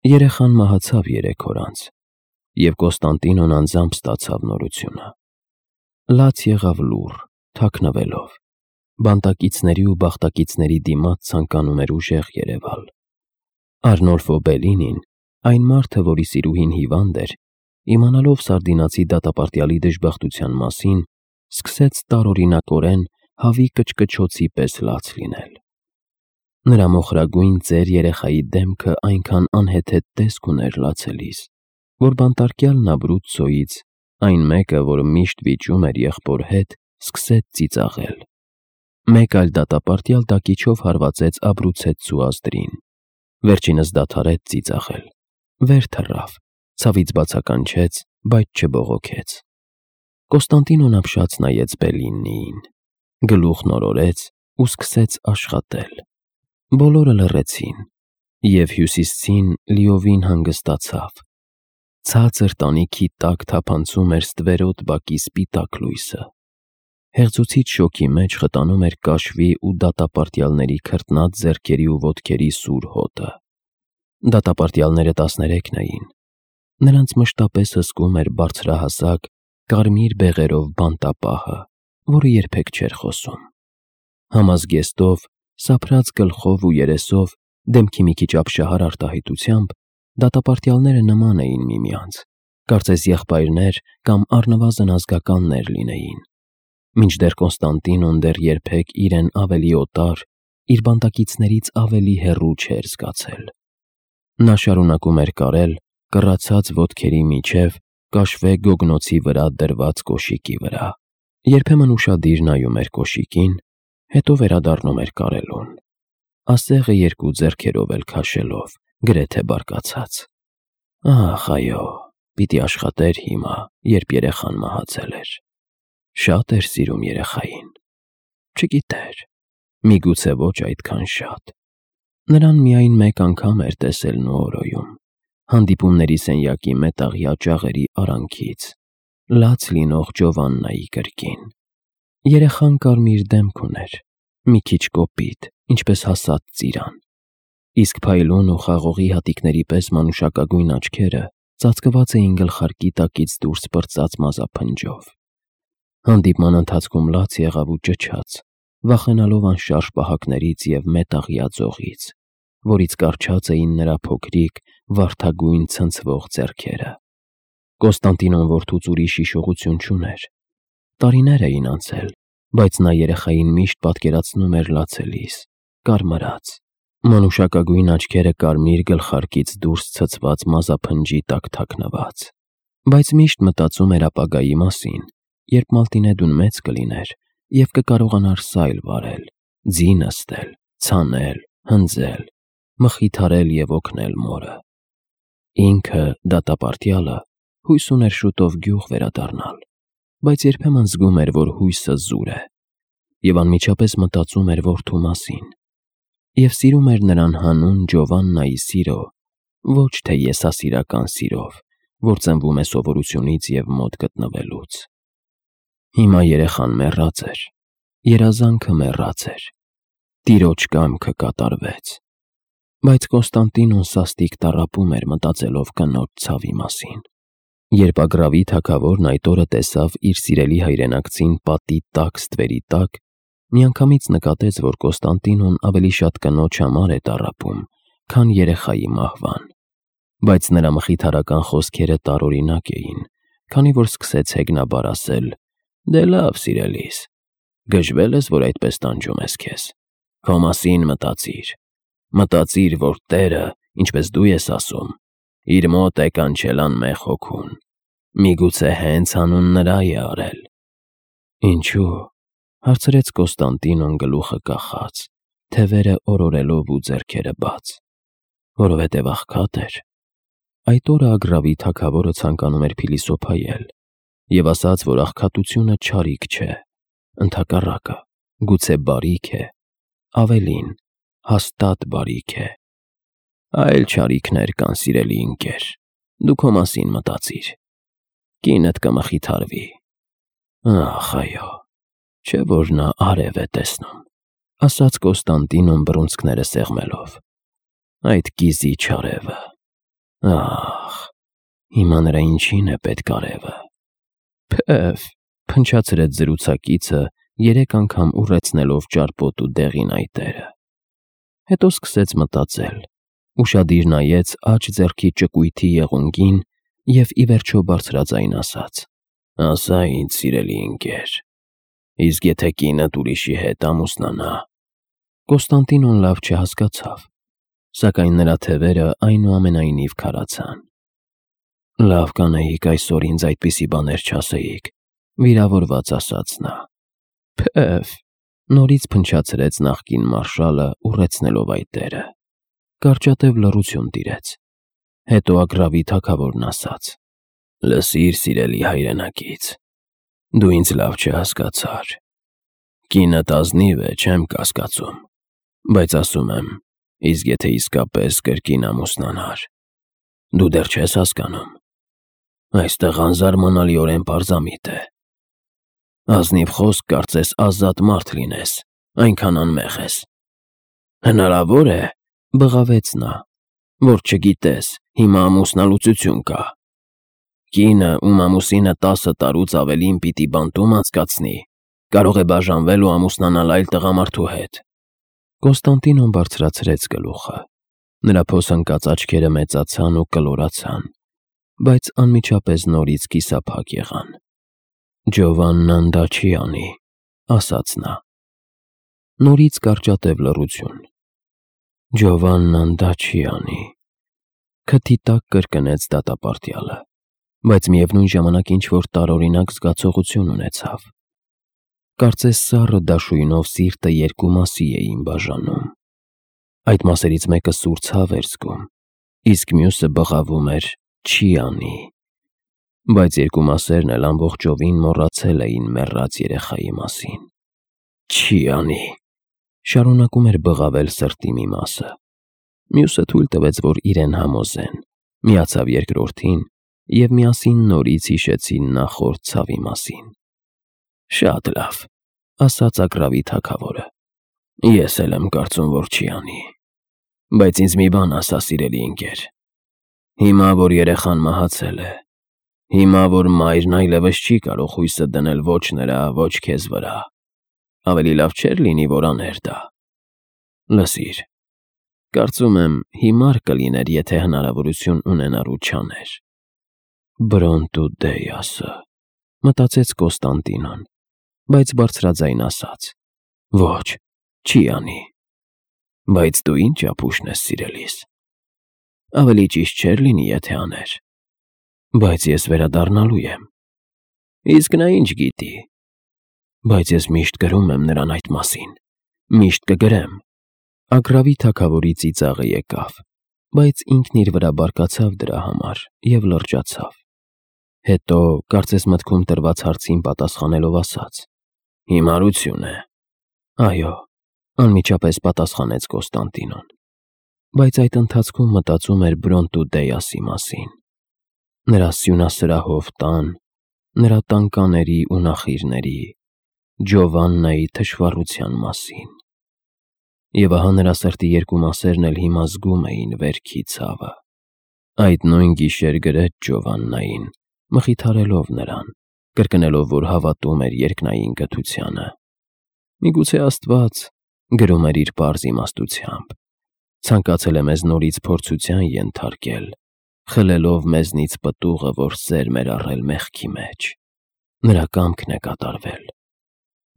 Երեխան մահացավ 3 օր անց, և Կոստանդինոն անձամբ ստացավ նորությունը։ Լաց եղավ լուռ, թաքնվելով, բանտակիցների ու բախտակիցների դիմաց ցանկանում էր ուժեղ երևալ։ Արնոլֆո Բելինին, այն մարդը, որի սիրուհին հիվանդ էր, իմանալով սարդինացի դատապարտյալի դժբախտության մասին, սկսեց տարօրինակորեն հավի կչկչոցի պես լաց լինել։ Նրա մոխրագույն ծեր երեխայի դեմքը այնքան անհեթեթ տեսք ուներ լացելիս, որ բանտարկյալն Աբրուցցոից, այն մեկը, որ միշտ վիճում էր եղբոր հետ, սկսեց ծիծաղել։ Մեկ այլ դատապարտյալ դակիչով հարվածեց Աբրուցեցու ազդրին։ Վերջինս դադարեց ծիծաղել, վեր թռավ, ցավից բացականչեց, բայց չբողոքեց։ Կոստանդինոն ապշած նայեց Բելինիին, գլուխն օրորեց ու սկսեց աշխատել։ Բոլորը լռեցին, և Հյուսիսցին լիովին հանգստացավ։ Ցածր տանիքի տակ թափանցում էր ստվերոտ բակի սպիտակ լույսը։ Հեղձուցիչ շոգի մեջ խտանում էր կաշվի ու դատապարտյալների քրտնած ձեռքերի ու ոտքերի սուր հոտը։ Դատապարտյալները 13 էին։ Նրանց մշտապես հսկում էր բարձրահասակ, կարմիր բեղերով բանտապահը, որը երբեք չէր խոսում։ Համազգեստով, սափրած գլխով ու երեսով, դեմքի մի քիչ ապշահար արտահայտությամբ, դատապարտյալները նման էին միմյանց, կարծես եղբայրներ կամ առնվազն ազգականներ լինեին։ Մինչդեռ Կոստանդինոն դեռ երբեք իրեն ավելի օտար, իր բանտակիցներից ավելի հեռու չէր զգացել։ Նա շարունակում էր կարել կռացած ոտքերի միջև կաշվե գոգնոցի վրա դրված կոշիկի վրա։ Երբեմն ուշադիր նայում էր կոշիկին, հետո վերադառնում էր կարելուն, ասեղը 2 ձեռքերով էլ քաշելով, գրեթե բարկացած։ Ահ, այո, պիտի աշխատեր հիմա, երբ երեխան մահացել էր։ Շատ էր սիրում երեխային։ Չգիտեր, միգուցե ոչ այդքան շատ։ Նրան միայն մեկ անգամ էր տեսել Նուորոյում, հանդիպումների սենյակի մետաղյա ճաղերի արանքից, լաց լինող Ջովաննայի կրկին։ Երեխան կարմիր դեմք ուներ, մի քիչ կոպիտ, ինչպես հասած ծիրան, իսկ փայլուն ու խաղողի հատիկների պես մանուշակագույն աչքերը ծածկված էին գլխարկի տակից դուրս պրծած մազափնջով։ Հանդիպման ընթացքում լաց եղավ ու ճչաց, վախենալով անշարժ պահակներից և մետաղյա ձողից, որից կառչած էին նրա փոքրիկ, վարդագույն ցնցվող ձեռքերը։ Կոստանդինոն որդուց ուրիշ հիշողություն չուներ։ Տարիներ էին անցել, բայց նա երեխային միշտ պատկերացնում էր լացելիս, կարմրած, մանուշակագույն աչքերը կարմիր գլխարկից դուրս ցցված մազափնջի տակ թաքնված, բայց միշտ մտածում էր ապագայի մասին, երբ Մալտինեդուն մեծ կլիներ և կկարողանար սայլ վարել, ձի նստել, ցանել, հնձել, մխիթարել և օգնել մորը։ Ինքը, դատապարտյալը, հույս ուներ շուտով գյուղ վերադառնալ, բայց երբեմն զգում էր, որ հույսը զուր է, և անմիջապես մտածում էր որդու մասին, և սիրում էր նրան հանուն Ջովաննայի սիրո, ոչ թե եսասիրական սիրով, որ ծնվում է սովորությունից և մոտ գտնվելուց։ Հիմա երեխան մեռած էր, երազանքը մեռած էր, տիրոջ կամքը կատարվեց, բայց Կոստանդինոն սաստիկ տառապում էր մտածելով կնոջ ցավի մասին։ Երբ Ագրավի թագավորն այդ օրը տեսավ իր սիրելի հայրենակցին պատի տակ ստվերի տակ, միանգամից նկատեց, որ Կոստանդինոն ավելի շատ կնոջ համար է տառապում, քան երեխայի մահվան, բայց նրա մխիթարական խոսքերը տարօրինակ էին, քանի որ սկսեց հեգնաբար ասել. «Դե լավ, սիրելիս, գժվել ես, որ այդպես տանջում ես քեզ։ Քո մասին մտածիր, որ Տերը, ինչպես դու ես ասում, իր մոտ է կանչել անմեղ հոգուն, միգուցե հենց հանուն նրա է արել»։ Ինչու՞, հարցրեց Կոստանդինոն գլուխը կախած, թևերը օրորելով ու ձեռքերը բաց։ Որովհետև աղքատ էր։ Այդ օրը Ագրավի թագավորը ցանկանում էր փիլիսոփայել և ասաց, որ աղքատությունը չարիք չէ, ընդհակառակը, գուցե բարիք է, ավելին, հաստատ բարիք է։ Այլ չարիքներ կան, սիրելի ընկեր, դու քո մասին մտածիր, կինդ կմխիթարվի։ Ախ, այո, չէ՞ որ նա արև է տեսնում, ասաց Կոստանդինոն բռունցքները սեղմելով։ Այդ կիզիչ արևը, Ահ, հիմա նրա ինչին է պետք արևը։ Փեև, փնչացրեց զրուցակիցը, 3 անգամ ուռեցնելով ճարպոտ ու դեղին այտերը։ Հետո սկսեց մտածել, ուշադիր նայեց աջ ձեռքի ճկույթի եղունգին և ի վերջո բարձրաձայն ասաց. «Ասա ինձ, սիրելի ընկեր, իսկ եթե կինդ ուրիշի հետ ամուսնանա»։ Կոստանդինոն լավ չհասկացավ, սակայն նրա թևերը այնուամենայնիվ քարացան։ «Լավ կանեիք այսօր ինձ այդպիսի բաներ չասեիք», վիրավորված ասաց նա։ Փեև, նորից փնչացրեց նախկին մարշալը, ուռեցնելով այտերը։ Կարճատև լռություն տիրեց։ Հետո Ագռավի թագավորն ասաց. «Լսիր, սիրելի հայրենակից, դու ինձ լավ չհասկացար։ Կինդ ազնիվ է, չեմ կասկածում, բայց ասում եմ, իսկ եթե իսկապես կրկին ամուսնանար, դու դեռ չես հասկանում։ Այստեղ անզարմանալիորեն պարզամիտ է։ Ազնիվ խոսք կարծես ազատ մարդ լինես, այնքան անմեղ ես»։ «Հնարավոր է», բղավեց նա, «որ չգիտես, հիմա ամուսնալուծություն կա։ Կինը, ում ամուսինը 10 տարուց ավելին պիտի բանտում անցկացնի, կարող է բաժանվել ու ամուսնանալ այլ տղամարդու հետ»։ Կոստանդինոն բարձրացրեց գլուխը։ Նրա փոսընկած աչքերը մեծացան ու կլորացան, բայց անմիջապես նորից կիսափակ եղան։ «Ջովաննան դա չի անի», ասաց նա։ Նորից կարճատև լռություն։ «Ջովաննան դա չի անի», քթի տակ կրկնեց դատապարտյալը, բայց միևնույն ժամանակ ինչ-որ տարօրինակ զգացողություն ունեցավ։ Կարծես սառը դաշույնով սիրտը 2 մասի էին բաժանում։ Այդ մասերից մեկը սուր ցավ էր զգում, իսկ մյուսը բղավում էր «չի անի», բայց 2 մասերն էլ ամբողջովին մոռացել էին մեռած երեխայի մասին։ «Չի անի», շարունակում էր բղավել սրտի մի մասը։ Մյուսը թույլ տվեց, որ իրեն համոզեն, միացավ երկրորդին, և միասին նորից հիշեցին նախորդ ցավի մասին։ «Շատ լավ», ասաց Ագռավի թագավորը, «ես էլ եմ կարծում, որ չի անի։ Բայց ինձ մի բան ասա, սիրելի ընկեր, հիմա, որ երեխան մահացել է, հիմա, որ մայրն այլևս չի կարող հույսը դնել ոչ նրա, ոչ քեզ վրա, ավելի լավ չէր լինի, որ աներ դա։ Լսիր, կարծում եմ հիմար կլիներ, եթե հնարավորություն ունենար ու չաներ»։ «Բրոնտու Դեյասը», մտածեց Կոստանդինոն, բայց բարձրաձայն ասաց. «Ոչ, չի անի»։ «Բայց դու ինչ ապուշն ես, սիրելիս։ Ավելի ճիշտ չէր լինի, եթե աներ։ Բայց ես վերադառնալու եմ»։ «Իսկ նա ինչ գիտի»։ «Բայց ես միշտ գրում եմ նրան այդ մասին, միշտ կգրեմ»։ Ագռավի թագավորի ծիծաղը եկավ, բայց ինքն իր վրա բարկացավ դրա համար և լրջացավ։ Հետո, կարծես մտքում տրված հարցին պատասխանելով ասաց. «Հիմարություն է»։ «Այո», անմիջապես պատասխանեց Կոստանդինոն, բայց այդ ընթացքում մտածում էր Բրոնտու Դեյասի մասին, նրա սյունասրահով տան, նրա տանկաների ու նախիրների, Ջովաննայի թշվառության մասին։ Եվ ահա նրա սրտի 2 մասերն էլ հիմա զգում էին վերքի ցավը։ Այդ նույն գիշեր գրեց Ջովաննային, մխիթարելով նրան, կրկնելով, որ հավատում էր երկնային կթությանը։ «Միգուցե Աստված», գրում էր իր պարզ իմաստությամբ, «ցանկացել է մեզ նորից փորձության ենթարկել, խլելով մեզնից պտուղը, որ սերմ էր առել մեղքի մեջ։ Նրա կամքն է կատարվել։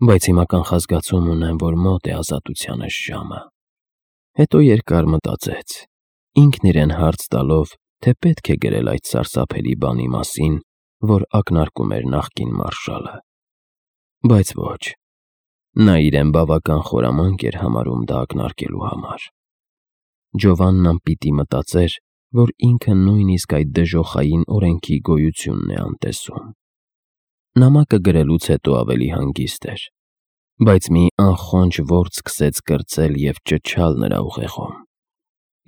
Բայց հիմա կանխազգացում ունեմ, որ մոտ է ազատությանս ժամը»։ Հետո երկար մտածեց, ինքն իրեն հարց տալով, թե պետք է գրել այդ սարսափելի բանի մասին, որ ակնարկում էր նախկին մարշալը։ Բայց ոչ, նա իրեն բավական խորամանկ էր համարում դա ակնարկելու համար։ Ջովաննան պիտի մտածեր, որ ինքը նույնիսկ այդ դժոխային օրենքի գոյությունն է անտեսում։ Նամակը գրելուց հետո ավելի հանգիստ էր, բայց մի անխոնջ որբ սկսեց կրծել և ճչալ նրա ուղեղում։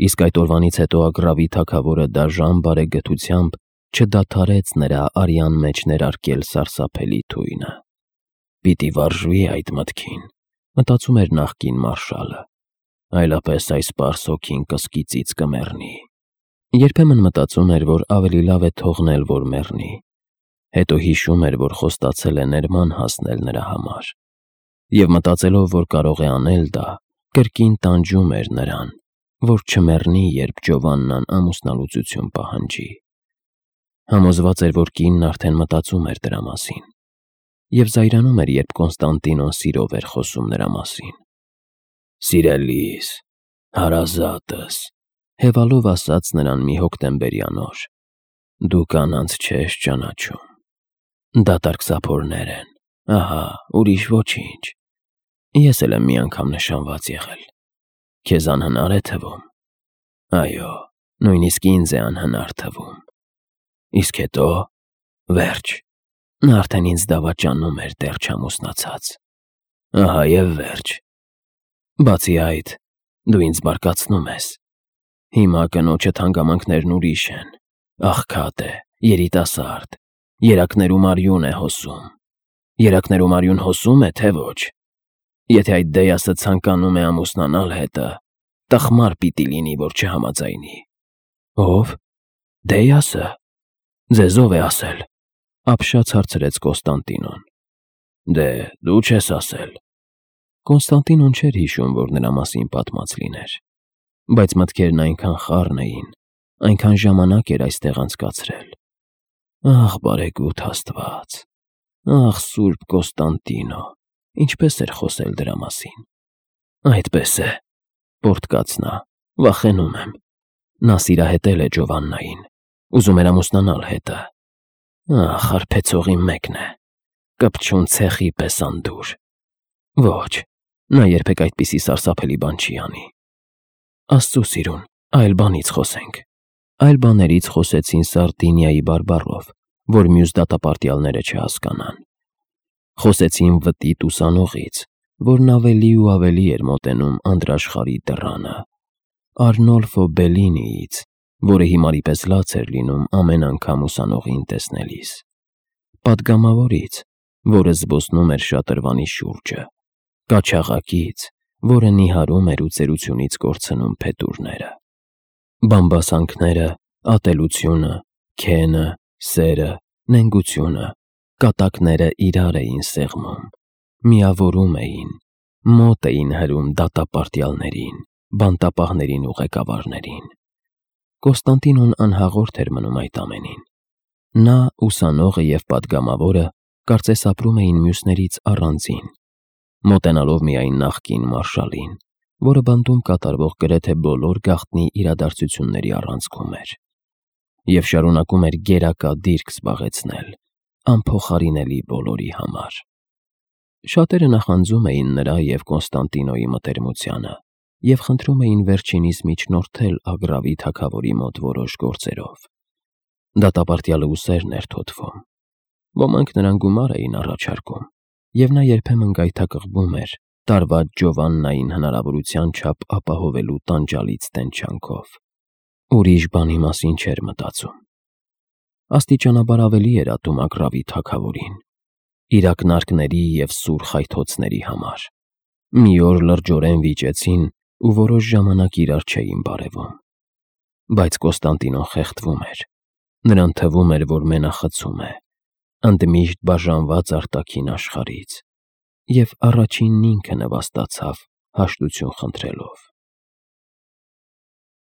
Իսկ այդ օրվանից հետո Ագռավի թագավորը դաժան բարեգթությամբ չդադարեց նրա արյան մեջ ներարկել սարսափելի թույնը։ «Պիտի վարժվի այդ մտքին», մտածում էր նախկին մարշալը, «այլապես այս պարզ հոգին կսկիծից կմեռնի»։ Երբեմն մտածում էր, որ ավելի լավ է թողնել, որ մեռնի, հետո հիշում էր, որ խոստացել է ներման հասնել նրա համար, և մտածելով, որ կարող է անել դա, կրկին տանջում էր նրան, որ չմեռնի, երբ Ջովաննան ամուսնալուծություն պահանջի։ Համոզված էր, որ կինն արդեն մտածում էր դրա մասին, և զայրանում էր, երբ Կոնստանտինոն սիրով էր խոսում նրա մասին։ «Սիրելիս, հարազատս», հևալով ասաց նրան մի հոկտեմբերյան օր, «դու կանանց չես ճանաչում, դատարկ սափորներ են, ահա, ուրիշ ոչինչ, ես էլ եմ մի անգամ նշանված եղել, քեզ անհնար է թվում, այո, նույնիսկ ինձ է անհնար թվում, իսկ հետո, վերջ, նա արդեն ինձ դավաճանում էր դեռ չամուսնացած, ահա և վերջ, բացի այդ, դու ինձ բարկացնում ես, հիմա կնոջդ հանգամանքներն ուրիշ են, աղքատ է, երիտասարդ, երակներում արյուն է հոսում, երակներում արյուն հոսում է, թե ոչ, եթե այդ Դեյասը ցանկանում է ամուսնանալ հետը, տխմար պիտի լինի, որ չհամաձայնի»։ «Ո՞վ, Դեյասը, ձեզ ով է ասել», ապշած հարցրեց Կոնստանտինոն։ «Դե, դու չես ասել»։ Կոնստանտինոն չէր հիշում, որ նրա մասին պատմած լիներ, բայց մտքերն այնքան խառն էին, այնքան ժամանակ էր այստեղ անցկացրել։ Ահ, բարեգութ Աստված, ահ, Սուրբ Կոնստանտինո, ինչպես էր խոսել դրա մասին։ «Այդպես է», պոռթկաց նա, «վախենում եմ։ Նա սիրահետել է Ջովաննային, ուզում էր ամուսնանալ հետը։ Ահ, հարբեցողի մեկն է, կպչուն ցեխի պես անդուր։ Ոչ, նա երբեք այդպիսի սարսափելի բան չի անի։ Աստծո սիրուն, այլ բանից խոսենք»։ Այլ բաներից խոսեցին Սարդինիայի բարբառով, որ մյուս դատապարտյալները չհասկանան։ Խոսեցին վտիտ ուսանողից, որն ավելի ու ավելի էր մոտենում անդրաշխարհի դռանը, Արնոլֆո Բելլինիից, որը հիմարի պես լաց էր լինում ամեն անգամ ուսանողին տեսնելիս, պատգամավորից, որը զբոսնում էր շատրվանի շուրջը, կաչաղակից, որը նիհարում էր ու ծերությունից կորցնում փետուրները։ Բամբասանքները, ատելությունը, քենը, սերը, նենգությունը, կատակները իրար էին սեղմում, միավորում էին, մոտ էին հրում դատապարտյալներին, բանտապահներին ու ղեկավարներին։ Կոնստանտինոն անհաղորդ էր մնում այդ ամենին։ Նա, ուսանողը և պատգամավորը կարծես ապրում էին մյուսներից առանձին, մոտենալով միայն նախկին մարշալին, որը բանտում կատարվող գրեթե բոլոր գաղտնի իրադարձությունների առանցքում էր, և շարունակում էր գերակա դիրք զբաղեցնել անփոխարինելի բոլորի համար։ Շատերը նախանձում էին նրա և Կոնստանտինոյի մտերմությանը և խնդրում էին վերջինիս միջնորդել Ագրավի թագավորի մոտ որոշ գործերով։ Դատապարտյալը ուսերն էր թոթվում։ Ոմանք նրան գումար էին առաջարկում, և նա երբեմն գայթակղվում էր տարված Ջովաննային հնարավորության չափ ապահովելու տանջալից տենչանքով։ Ուրիշ բանի մասին չէր մտածում։ Աստիճանաբար ավելի էր ատում Ագրավի թագավորին, իր ակնարկների և սուր խայթոցների համար։ Մի օր լրջորեն վիճեցին ու որոշ ժամանակ իրար չէին բարևում։ Բայց Կոնստանտինոն խեղդվում էր։ Նրան թվում էր, որ մենախցում է, ընդմիշտ բաժանված արտաքին աշխարհից, և առաջինն ինքը նվաստացավ հաշտություն խնդրելով։